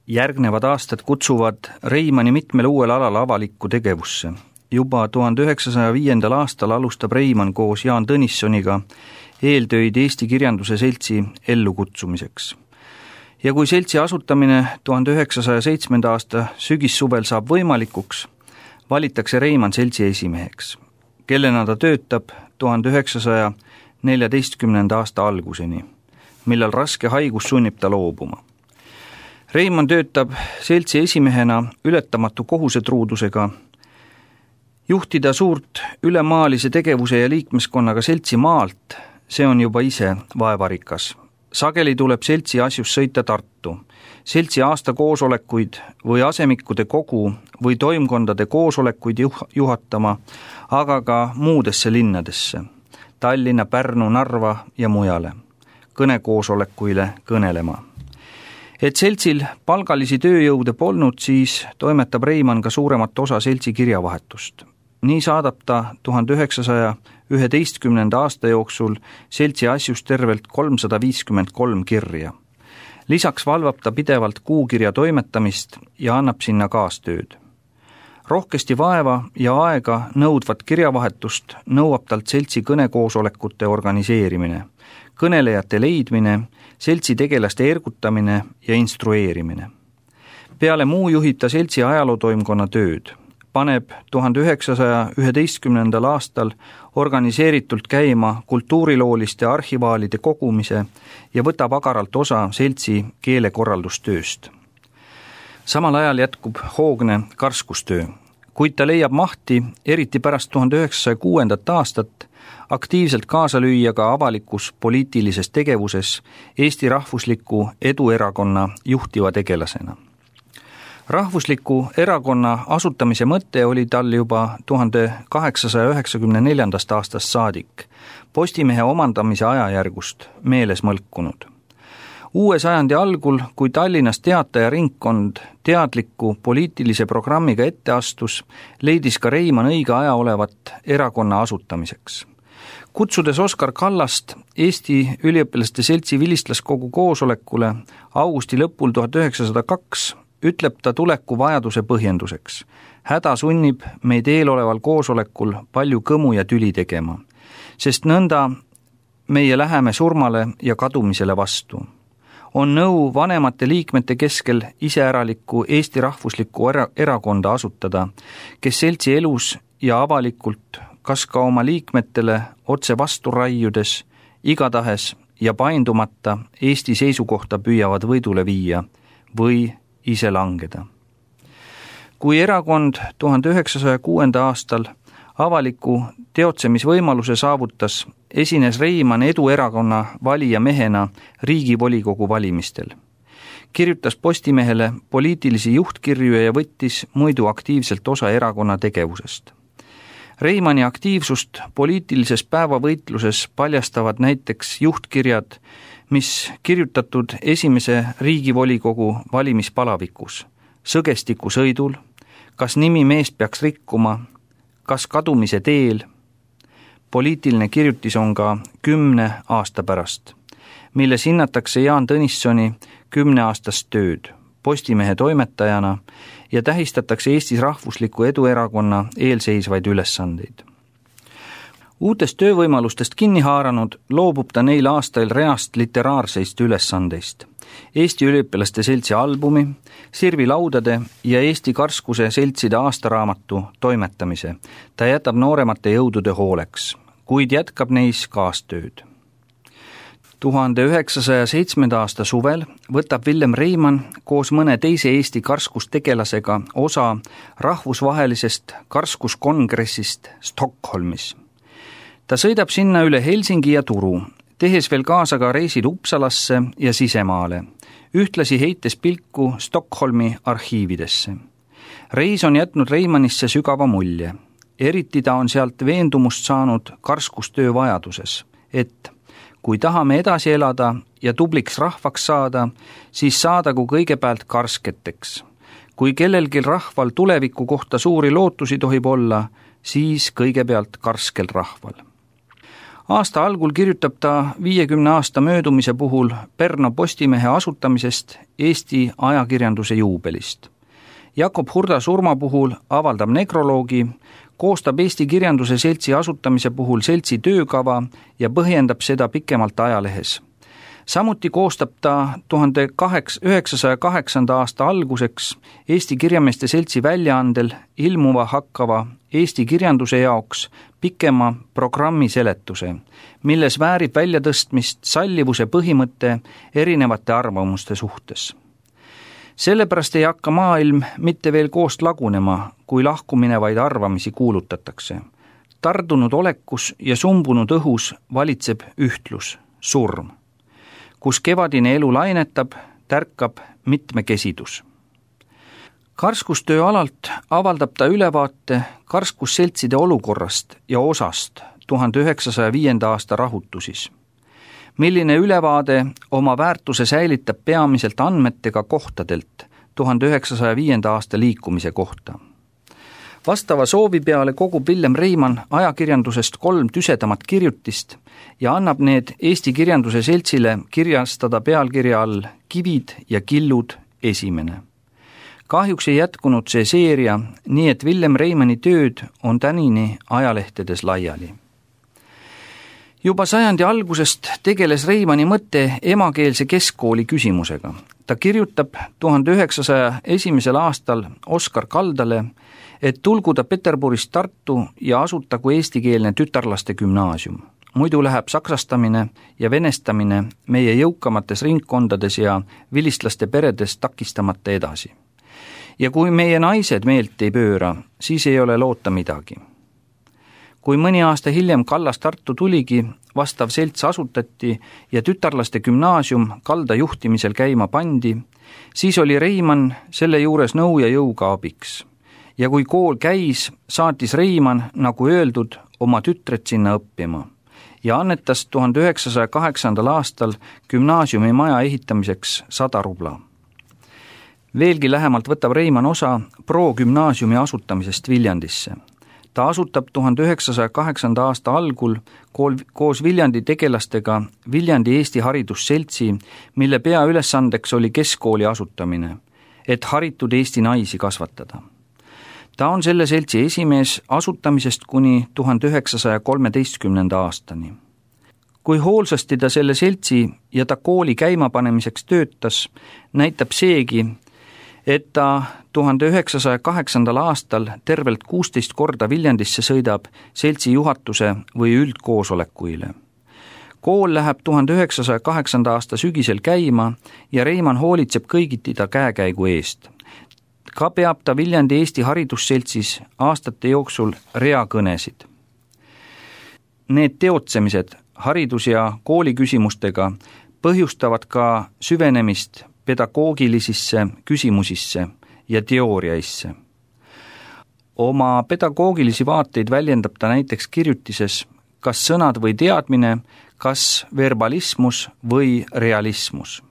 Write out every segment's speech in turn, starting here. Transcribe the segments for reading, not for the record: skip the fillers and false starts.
Järgnevad aastad kutsuvad Reimanni mitmel uuel alal avalikku tegevusse. Juba 1905. aastal alustab Reimann koos Jaan Tõnissoniga eeltöid Eesti Kirjanduse Seltsi ellukutsumiseks. Ja kui seltsi asutamine 1907. aasta sügissuvel saab võimalikuks, valitakse Reimann seltsi esimeheks, kellena ta töötab 1914. aasta alguseni, millal raske haigus sunnib ta loobuma. Reimann töötab seltsi esimehena ületamatu kohusetruudusega, juhtida suurt ülemaalise tegevuse ja liikmeskonnaga seltsi maalt, see on juba ise vaevarikas. Sageli tuleb seltsi asjus sõita Tartu, seltsi aastakoosolekuid või asemikkude kogu või toimkondade koosolekuid juhatama, aga ka muudesse linnadesse, Tallinna, Pärnu, Narva ja mujale, kõnekoosolekuile kõnelema. Et seltsil palgalisi tööjõude polnud, siis toimetab Reimann ka suuremat osa seltsi kirjavahetust. Nii saadab ta 1911. aasta jooksul seltsi asjus tervelt 353 kirja. Lisaks valvab ta pidevalt kuukirja toimetamist ja annab sinna kaastööd. Rohkesti vaeva ja aega nõudvat kirjavahetust nõuab talt seltsi kõnekoosolekute organiseerimine, kõnelejate leidmine, seltsi tegelaste ergutamine ja instrueerimine. Peale muu juhib ta seltsi ajalootoimkonna tööd, paneb 1911. aastal organiseeritult käima kultuurilooliste arhivaalide kogumise ja võtab agaralt osa seltsi keelekorraldustööst. Samal ajal jätkub hoogne karskustöö, kuid ta leiab mahti, eriti pärast 1906. aastat, aktiivselt kaasa lüüa ka avalikus poliitilises tegevuses Eesti Rahvusliku Eduerakonna juhtiva tegelasena. Rahvusliku erakonna asutamise mõte oli tal juba 1894. aastast saadik, Postimehe omandamise ajajärgust meeles mõlkunud. Uue sajandi algul, kui Tallinnas teatajaringkond teadliku poliitilise programmiga ette astus, leidis ka Reimann õige aja olevat erakonna asutamiseks. Kutsudes Oskar Kallast Eesti Üliõpilaste Seltsi vilistlaskogu koosolekule augusti lõpul 1902, ütleb ta tuleku vajaduse põhjenduseks. Häda sunnib meid eeloleval koosolekul palju kõmu ja tüli tegema, sest nõnda meie läheme surmale ja kadumisele vastu. On nõu vanemate liikmete keskel iseäralikku Eesti Rahvuslikku erakonda asutada, kes seltsi elus ja avalikult, kas ka oma liikmetele otse vastu raiudes, igatahes ja paindumata Eesti seisukohta püüavad võidule viia või ise langeda. Kui erakond 1906. aastal avaliku teotsemisvõimaluse saavutas, esines Reimann Eduerakonna valija mehena Riigivolikogu valimistel. Kirjutas Postimehele poliitilisi juhtkirju ja võttis muidu aktiivselt osa erakonna tegevusest. Reimanni aktiivsust poliitilises päevavõitluses paljastavad näiteks juhtkirjad, mis kirjutatud esimese Riigivolikogu valimispalavikus, Sõgestiku sõidul, Kas nimi meest peaks rikkuma, Kas kadumise teel. Poliitiline kirjutis on ka 10 aasta pärast, milles hinnatakse Jaan Tõnissoni 10-aastast tööd Postimehe toimetajana ja tähistatakse Eestis Rahvusliku Eduerakonna eelseisvaid ülesandeid. Uutest töövõimalustest kinni haaranud loobub ta neil aastail reast literaarseist ülesandeist. Eesti Üliõpilaste Seltsi albumi, Sirvi laudade ja Eesti Karskuse seltside aastaraamatu toimetamise. Ta jätab nooremate jõudude hooleks, kuid jätkab neis kaastööd. 1907. aasta suvel võtab Villem Reimann koos mõne teise Eesti karskustegelasega osa rahvusvahelisest karskuskongressist Stockholmis. Ta sõidab sinna üle Helsingi ja Turu, tehes veel kaasa ka reisid Uppsalasse ja sisemaale, ühtlasi heites pilku Stockholmi arhiividesse. Reis on jätnud Reimannisse sügava mulje. Eriti ta on sealt veendumust saanud karskustöö vajaduses, et kui tahame edasi elada ja tubliks rahvaks saada, siis saadagu kõigepealt karsketeks. Kui kellelgi rahval tuleviku kohta suuri lootusi tohib olla, siis kõigepealt karskel rahval. Aasta algul kirjutab ta 50 aasta möödumise puhul Pärnu Postimehe asutamisest Eesti ajakirjanduse juubelist. Jakob Hurda surma puhul avaldab nekroloogi, koostab Eesti Kirjanduse Seltsi asutamise puhul seltsi töökava ja põhjendab seda pikemalt ajalehes. Samuti koostab ta 1908. aasta alguseks Eesti Kirjameeste Seltsi väljaandel ilmuva hakkava Eesti kirjanduse jaoks pikema programmi seletuse, milles väärib väljatõstmist sallivuse põhimõte erinevate arvamuste suhtes. Sellepärast ei hakka maailm mitte veel koost lagunema, kui lahkuminevaid arvamisi kuulutatakse. Tardunud olekus ja sumbunud õhus valitseb ühtlus, surm. Kus kevadine elu lainetab, tärkab mitmekesidus. Karskustöö alalt avaldab ta ülevaate karskusseltside olukorrast ja osast 1905. aasta rahutusis. Milline ülevaade oma väärtuse säilitab peamiselt andmetega kohtadelt 1905. aasta liikumise kohta. Vastava soovi peale kogub Villem Reimann ajakirjandusest 3 tüsedamat kirjutist ja annab need Eesti Kirjanduse Seltsile kirjastada pealkirja all Kivid ja killud esimene. Kahjuks ei jätkunud see seeria, nii et Villem Reimanni tööd on tänini ajalehtedes laiali. Juba sajandi algusest tegeles Reimanni mõte emakeelse keskkooli küsimusega. Ta kirjutab 1901. aastal Oskar Kaldale, et tulgu ta Peterburist Tartu ja asutagu eestikeelne tütarlaste gümnaasium. Muidu läheb saksastamine ja venestamine meie jõukamates ringkondades ja vilistlaste peredes takistamata edasi. Ja kui meie naised meelt ei pööra, siis ei ole loota midagi. Kui mõni aasta hiljem Kallas Tartu tuligi, vastav selts asutati ja tütarlaste gümnaasium Kalda juhtimisel käima pandi, siis oli Reimann selle juures nõu ja jõuga abiks. Ja kui kool käis, saatis Reimann, nagu öeldud, oma tütred sinna õppima ja annetas 1908. aastal gümnaasiumi maja ehitamiseks 100 rubla. Veelgi lähemalt võtab Reimann osa pro-gümnaasiumi asutamisest Viljandisse. Ta asutab 1908. aasta algul koos Viljandi tegelastega Viljandi Eesti Haridusseltsi, mille peaülesandeks oli keskkooli asutamine, et haritud Eesti naisi kasvatada. Ta on selle seltsi esimees asutamisest kuni 1913. aastani. Kui hoolsasti ta selle seltsi ja ta kooli käimapanemiseks töötas, näitab seegi, et ta 1908. aastal tervelt 16 korda Viljandisse sõidab seltsi juhatuse või üldkoosolekuile. Kool läheb 1908. aasta sügisel käima ja Reimann hoolitseb kõigiti ta käekäigu eest. Ka peab ta Viljandi Eesti Haridusseltsis aastate jooksul reakõnesid. Need teotsemised haridus- ja kooliküsimustega põhjustavad ka süvenemist pedagoogilisisse küsimusisse ja teooriaisse. Oma pedagoogilisi vaateid väljendab ta näiteks kirjutises kas sõnad või teadmine, kas verbalismus või realismus.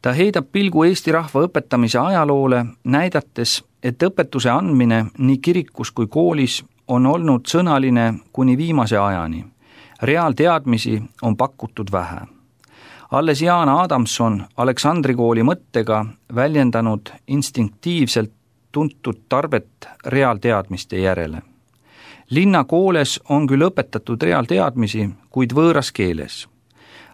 Ta heidab pilgu Eesti rahva õpetamise ajaloole, näidates, et õpetuse andmine nii kirikus kui koolis on olnud sõnaline kuni viimase ajani. Reaalteadmisi on pakutud vähe. Alles Jaan Adamson Aleksandri kooli mõttega väljendanud instinktiivselt tuntud tarvet reaalteadmiste järele. Linnakooles on küll õpetatud reaalteadmisi, kuid võõras keeles.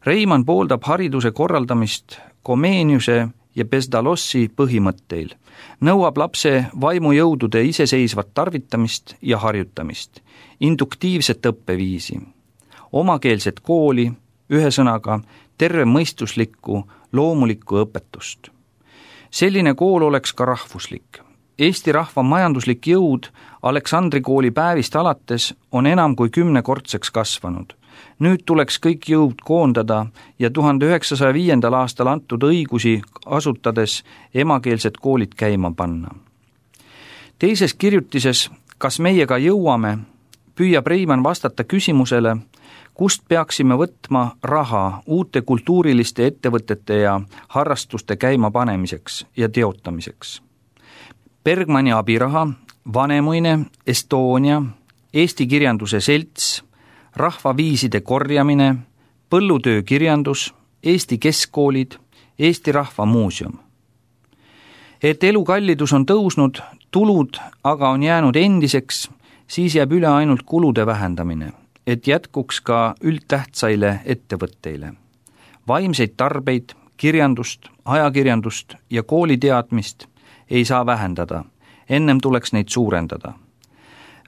Reimann pooldab hariduse korraldamist Komeeniuse ja Pestalossi põhimõtteil, nõuab lapse vaimujõudude iseseisvat tarvitamist ja harjutamist, induktiivset õppeviisi, omakeelset kooli, ühesõnaga tervemõistuslikku, loomulikku õpetust. Selline kool oleks ka rahvuslik. Eesti rahva majanduslik jõud Aleksandri kooli päevist alates on enam kui 10-kordseks kasvanud. Nüüd tuleks kõik jõud koondada ja 1905. aastal antud õigusi asutades emakeelsed koolid käima panna. Teises kirjutises Kas meiega jõuame, püüab Reimann vastata küsimusele, kust peaksime võtma raha uute kultuuriliste ettevõtete ja harrastuste käimapanemiseks ja teotamiseks. Bergmanni abiraha, Vanemuine, Estonia, Eesti Kirjanduse Selts, rahvaviiside korjamine, põllutöökirjandus, Eesti keskkoolid, Eesti Rahva Muuseum. Et elukallidus on tõusnud, tulud aga on jäänud endiseks, siis jääb üle ainult kulude vähendamine, et jätkuks ka üldtähtsaile ettevõtteile. Vaimseid tarbeid, kirjandust, ajakirjandust ja kooliteadmist ei saa vähendada, ennem tuleks neid suurendada.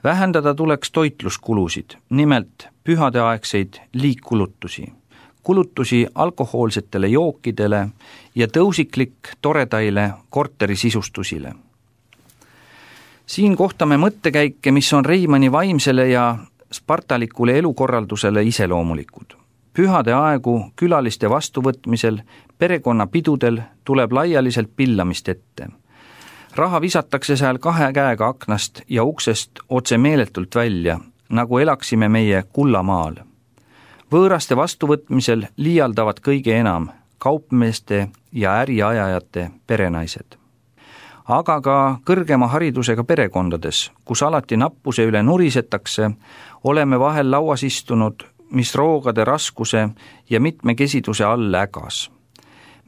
Vähendada tuleks toitluskulusid, nimelt pühadeaegseid liikkulutusi, kulutusi alkohoolsetele jookidele ja tõusiklik toredaile korterisisustusile. Siin kohtame mõttekäike, mis on Reimanni vaimsele ja spartalikule elukorraldusele iseloomulikud. Pühade aegu külaliste vastuvõtmisel, perekonnapidudel tuleb laialiselt pillamist ette. Raha visatakse seal 2 käega aknast ja uksest otse meeletult välja, nagu elaksime meie kullamaal. Võõraste vastuvõtmisel liialdavad kõige enam kaupmeeste ja äriajajate perenaised. Aga ka kõrgema haridusega perekondades, kus alati nappuse üle nurisetakse, oleme vahel lauas istunud, mis roogade raskuse ja mitmekesiduse all ägas.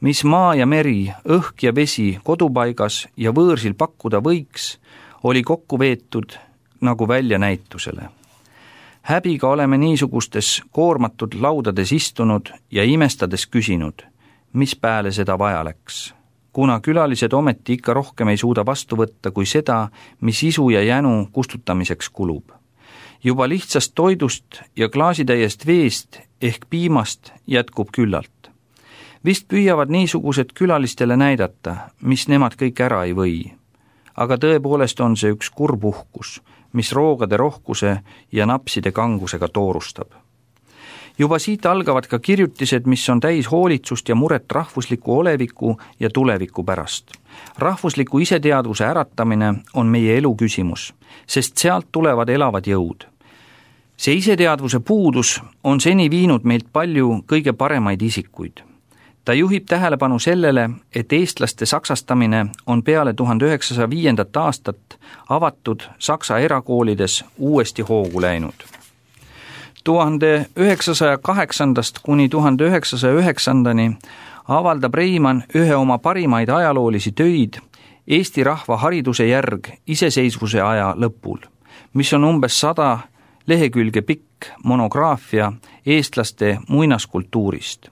Mis maa ja meri, õhk ja vesi kodupaigas ja võõrsil pakkuda võiks, oli kokku veetud nagu välja näitusele. Häbiga oleme niisugustes koormatud laudades istunud ja imestades küsinud, mis pääle seda vaja läks, kuna külalised ometi ikka rohkem ei suuda vastu võtta kui seda, mis isu ja jänu kustutamiseks kulub. Juba lihtsast toidust ja klaasitäiest veest ehk piimast jätkub küllalt. Vist püüavad niisugused külalistele näidata, mis nemad kõik ära ei või. Aga tõepoolest on see üks kurb uhkus, mis roogade rohkuse ja napside kangusega toorustab. Juba siit algavad ka kirjutised, mis on täis hoolitsust ja muret rahvusliku oleviku ja tuleviku pärast. Rahvusliku iseteadvuse äratamine on meie elu küsimus, sest sealt tulevad elavad jõud. See iseteadvuse puudus on seni viinud meilt palju kõige paremaid isikuid. Ta juhib tähelepanu sellele, et eestlaste saksastamine on peale 1905. aastat avatud Saksa erakoolides uuesti hoogu läinud. 1908. kuni 1909. avaldab Reimann ühe oma parimaid ajaloolisi töid Eesti rahva hariduse järg iseseisvuse aja lõpul, mis on umbes 100 lehekülge pikk monograafia eestlaste muinaskultuurist.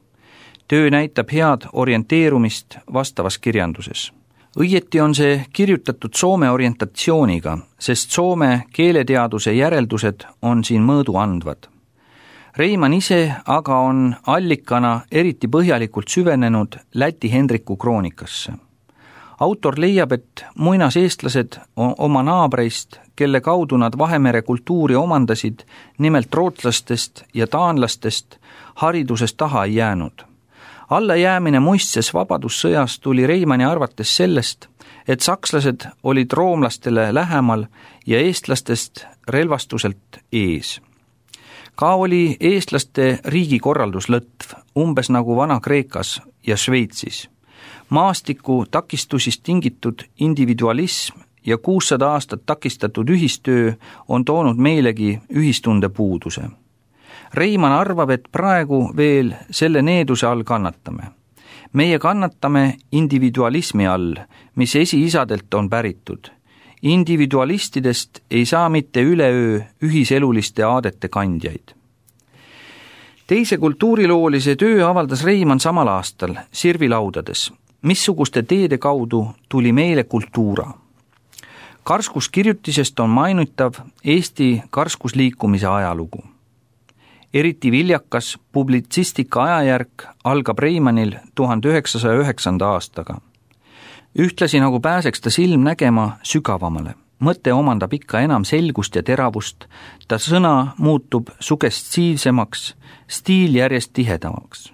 Töö näitab head orienteerumist vastavas kirjanduses. Õieti on see kirjutatud Soome orientatsiooniga, sest Soome keeleteaduse järeldused on siin mõõdu andvad. Reimann ise aga on allikana eriti põhjalikult süvenenud Läti Hendriku kroonikasse. Autor leiab, et muinaseestlased oma naabreist, kelle kaudu nad Vahemere kultuuri omandasid, nimelt rootslastest ja taanlastest, haridusest taha ei jäänud. Allajäämine muistses vabadussõjas tuli Reimanni arvates sellest, et sakslased olid roomlastele lähemal ja eestlastest relvastuselt ees. Ka oli eestlaste riigikorraldus lõtv, umbes nagu Vana-Kreekas ja Šveitsis. Maastiku takistusist tingitud individualism ja 600 aastat takistatud ühistöö on toonud meilegi ühistunde puuduse. Reimann arvab, et praegu veel selle needuse all kannatame. Meie kannatame individualismi all, mis esiisadelt on päritud. Individualistidest ei saa mitte üleöö ühiseluliste aadete kandjaid. Teise kultuuriloolise töö avaldas Reimann samal aastal Sirvilaudades, missuguste teede kaudu tuli meile kultuura. Karskuskirjutisest on mainitav Eesti karskusliikumise ajalugu. Eriti viljakas publitsistika ajajärk algab Reimannil 1909. aastaga. Ühtlasi nagu pääseks ta silm nägema sügavamale. Mõte omandab ikka enam selgust ja teravust, ta sõna muutub sugestiivsemaks, stiil järjest tihedamaks.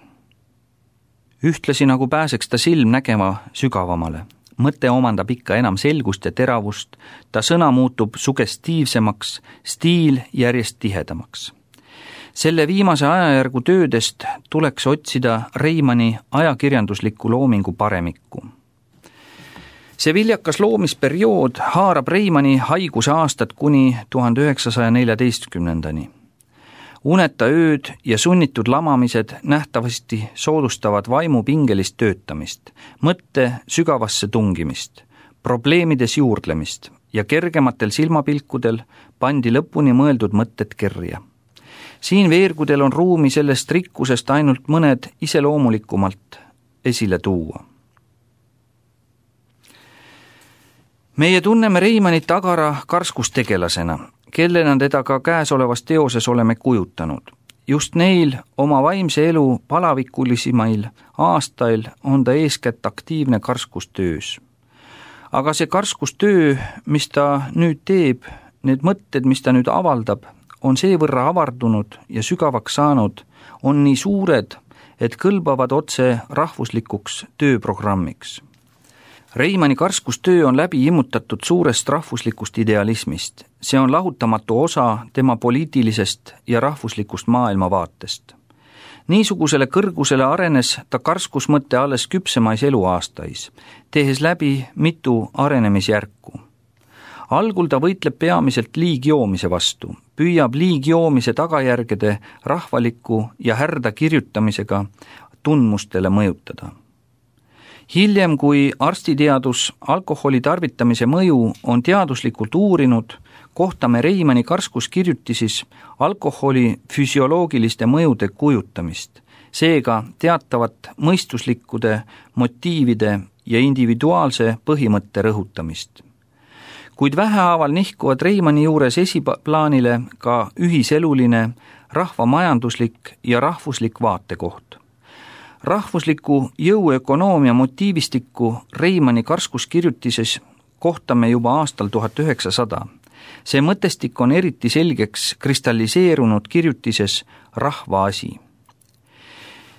Ühtlasi nagu pääseks ta silm nägema sügavamale. Mõte omandab ikka enam selgust ja teravust, ta sõna muutub sugestiivsemaks, stiil järjest tihedamaks. Selle viimase ajajärgu töödest tuleks otsida Reimanni ajakirjandusliku loomingu paremikku. See viljakas loomisperiood haarab Reimanni haiguse aastat kuni 1914. Uneta ööd ja sunnitud lamamised nähtavasti soodustavad vaimu pingelist töötamist, mõtte sügavasse tungimist, probleemides juurdlemist ja kergematel silmapilkudel pandi lõpuni mõeldud mõtted kirja. Siin veergudel on ruumi sellest rikkusest ainult mõned iseloomulikumalt esile tuua. Meie tunneme Reimannit agara karskustegelasena, kellena teda ka käesolevas teoses oleme kujutanud. Just neil oma vaimse elu palavikulisimail aastail on ta eeskätt aktiivne karskustöös. Aga see karskustöö, mis ta nüüd teeb, need mõtted, mis ta nüüd avaldab, on seevõrra avardunud ja sügavaks saanud, on nii suured, et kõlbavad otse rahvuslikuks tööprogrammiks. Reimanni karskustöö on läbi immutatud suurest rahvuslikust idealismist. See on lahutamatu osa tema poliitilisest ja rahvuslikust maailmavaatest. Niisugusele kõrgusele arenes ta karskusmõtte alles küpsemais eluaastais, tehes läbi mitu arenemisjärku. Algul ta võitleb peamiselt liigjoomise vastu, püüab liigjoomise tagajärgede rahvaliku ja härda kirjutamisega tundmustele mõjutada. Hiljem, kui arstiteadus alkoholi tarvitamise mõju on teaduslikult uurinud, kohtame Reimanni karskuskirjutisis alkoholi füsioloogiliste mõjude kujutamist, seega teatavat mõistuslikkude, motiivide ja individuaalse põhimõtte rõhutamist. Kuid vähehaaval nihkuvad Reimanni juures esiplaanile ka ühiseluline, rahvamajanduslik ja rahvuslik vaatekoht. Rahvusliku jõuökonoomia motiivistikku Reimanni karskuskirjutises kohtame juba aastal 1900. See mõtestik on eriti selgeks kristalliseerunud kirjutises Rahva asi.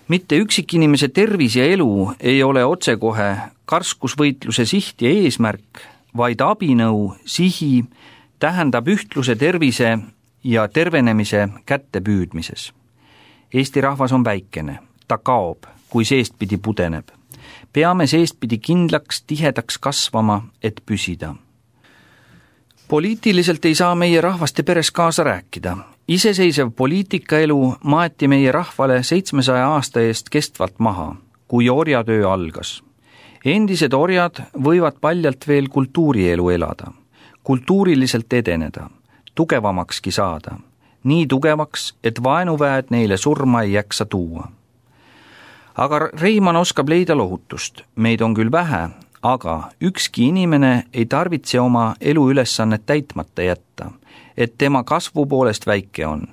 Mitte üksikinimese tervis ja elu ei ole otsekohe karskusvõitluse siht ja eesmärk, vaid abinõu sihi tähendab ühtluse tervise ja tervenemise kättepüüdmises. Eesti rahvas on väikene. Ta kaob, kui seestpidi pudeneb. Peame seestpidi kindlaks, tihedaks kasvama, et püsida. Poliitiliselt ei saa meie rahvaste peres kaasa rääkida. Iseseisev poliitikaelu maeti meie rahvale 700 aasta eest kestvalt maha, kui orjatöö algas. Endised orjad võivad paljalt veel kultuurielu elada, kultuuriliselt edeneda, tugevamakski saada, nii tugevaks, et vaenuväed neile surma ei jaksa tuua. Aga Reimann oskab leida lohutust. Meid on küll vähe, aga ükski inimene ei tarvitse oma eluülesannet täitmata jätta, et tema kasvu poolest väike on.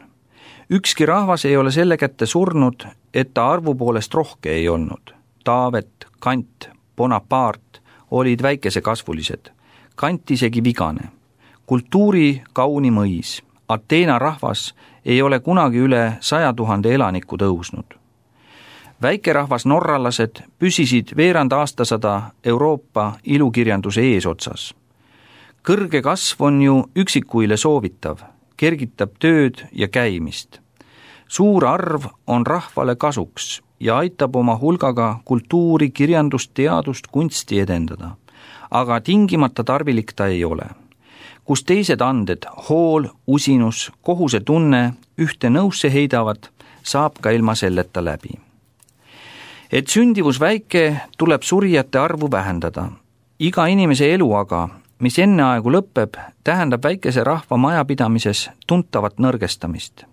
Ükski rahvas ei ole selle kätte surnud, et ta arvu poolest rohke ei olnud. Taavet, Kant, Bonaparte olid väikesekasvulised. Kant isegi vigane. Kultuuri kauni mõis. Ateena rahvas ei ole kunagi üle 100 000 elaniku tõusnud. Väikerahvas norralased püsisid veerand aastasada Euroopa ilukirjanduse eesotsas. Kõrge kasv on ju üksikuile soovitav, kergitab tööd ja käimist. Suur arv on rahvale kasuks ja aitab oma hulgaga kultuuri, kirjandust, teadust, kunsti edendada. Aga tingimata tarvilik ta ei ole. Kus teised anded, hool, usinus, kohuse tunne ühte nõusse heidavad, saab ka ilma selleta läbi. Et sündivus väike, tuleb surijate arvu vähendada. Iga inimese elu aga, mis enneaegu lõpeb, tähendab väikese rahva majapidamises tuntavat nõrgestamist.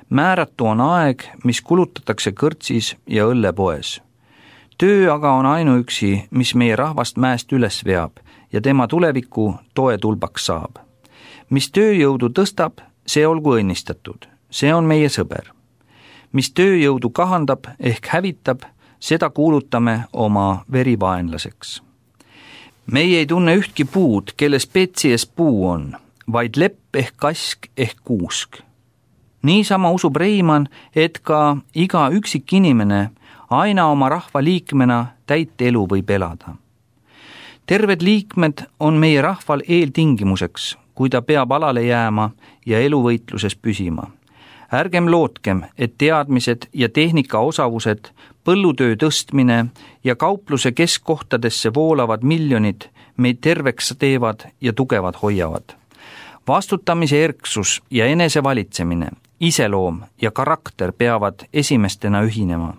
Määratu on aeg, mis kulutatakse kõrtsis ja õllepoes. Töö aga on ainuüksi, mis meie rahvast mäest üles veab ja tema tuleviku toetulbaks saab. Mis tööjõudu tõstab, see olgu õnnistatud. See on meie sõber. Mis tööjõudu kahandab ehk hävitab, seda kuulutame oma verivaenlaseks. Meie ei tunne ühtki puud, kelle spetsies puu on, vaid lepp ehk kask ehk kuusk. Niisama usub Reimann, et ka iga üksik inimene aina oma rahva liikmena täit elu võib elada. Terved liikmed on meie rahval eeltingimuseks, kui ta peab alale jääma ja eluvõitluses püsima. Ärgem lootkem, et teadmised ja tehnika osavused, põllutöö tõstmine ja kaupluse keskkohtadesse voolavad miljonid meid terveks teevad ja tugevad hoiavad. Vastutamise erksus ja enesevalitsemine, iseloom ja karakter peavad esimestena ühinema.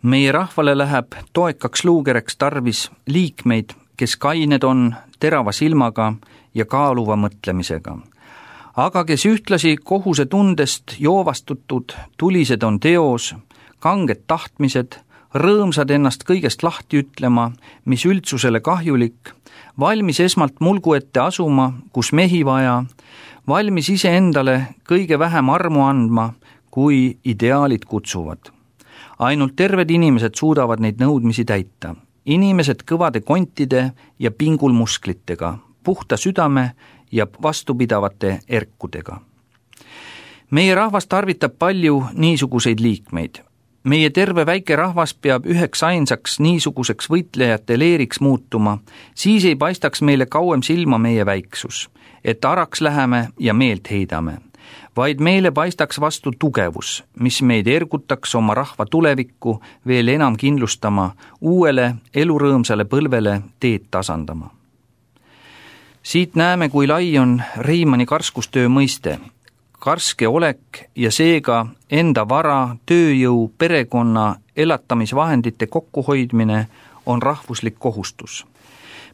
Meie rahvale läheb toekaks luukereks tarvis liikmeid, kes kained on, terava silmaga ja kaaluva mõtlemisega. Aga kes ühtlasi kohuse tundest joovastutud, tulised on teos, kanged tahtmised, rõõmsad ennast kõigest lahti ütlema, mis üldsusele kahjulik, valmis esmalt mulgu ette asuma, kus mehi vaja, valmis iseendale kõige vähem armu andma, kui ideaalid kutsuvad. Ainult terved inimesed suudavad neid nõudmisi täita. Inimesed kõvade kontide ja pingulmusklitega, puhta südame ja vastupidavate erkudega. Meie rahvas tarvitab palju niisuguseid liikmeid. Meie terve väike rahvas peab üheks ainsaks niisuguseks võitlejate leeriks muutuma, siis ei paistaks meile kauem silma meie väiksus, et araks läheme ja meelt heidame, vaid meile paistaks vastu tugevus, mis meid ergutaks oma rahva tulevikku veel enam kindlustama, uuele elurõõmsale põlvele teed tasandama. Siit näeme, kui lai on Reimanni karskustöö mõiste. Karske olek ja seega enda vara, tööjõu, perekonna, elatamisvahendite kokkuhoidmine on rahvuslik kohustus.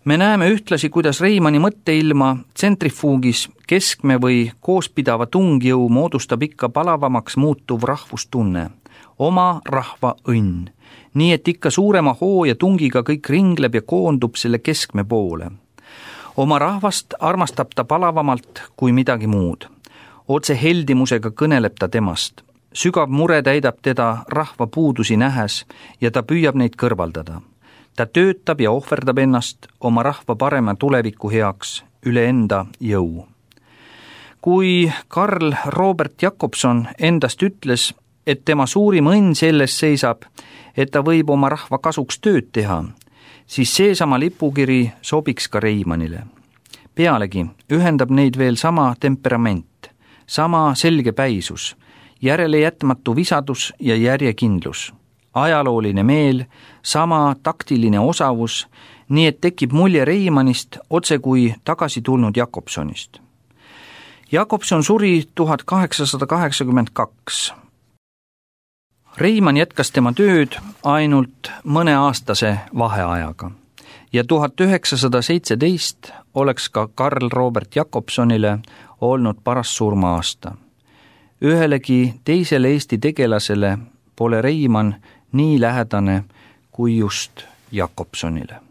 Me näeme ühtlasi, kuidas Reimanni mõtteilma tsentrifuugis keskme või koospidava tungjõu moodustab ikka palavamaks muutuv rahvustunne, oma rahva õnn, nii et ikka suurema hoo ja tungiga kõik ringleb ja koondub selle keskme poole. Oma rahvast armastab ta palavamalt kui midagi muud. Otse heldimusega kõneleb ta temast. Sügav mure täidab teda rahva puudusi nähes ja ta püüab neid kõrvaldada. Ta töötab ja ohverdab ennast oma rahva parema tuleviku heaks üle enda jõu. Kui Karl Robert Jakobson endast ütles, et tema suurim õnn selles seisab, et ta võib oma rahva kasuks tööd teha, siis seesama lipukiri sobiks ka Reimannile. Pealegi ühendab neid veel sama temperament, sama selgepäisus, järelejätmatu visadus ja järjekindlus, ajalooline meel, sama taktiline osavus, nii et tekib mulje Reimannist otse kui tagasi tulnud Jakobsonist. Jakobson suri 1882. Reimann jätkas tema tööd ainult mõneaastase vaheajaga ja 1917 oleks ka Karl Robert Jakobsonile olnud paras surma-aasta. Ühelegi teisele Eesti tegelasele pole Reimann nii lähedane kui just Jakobsonile.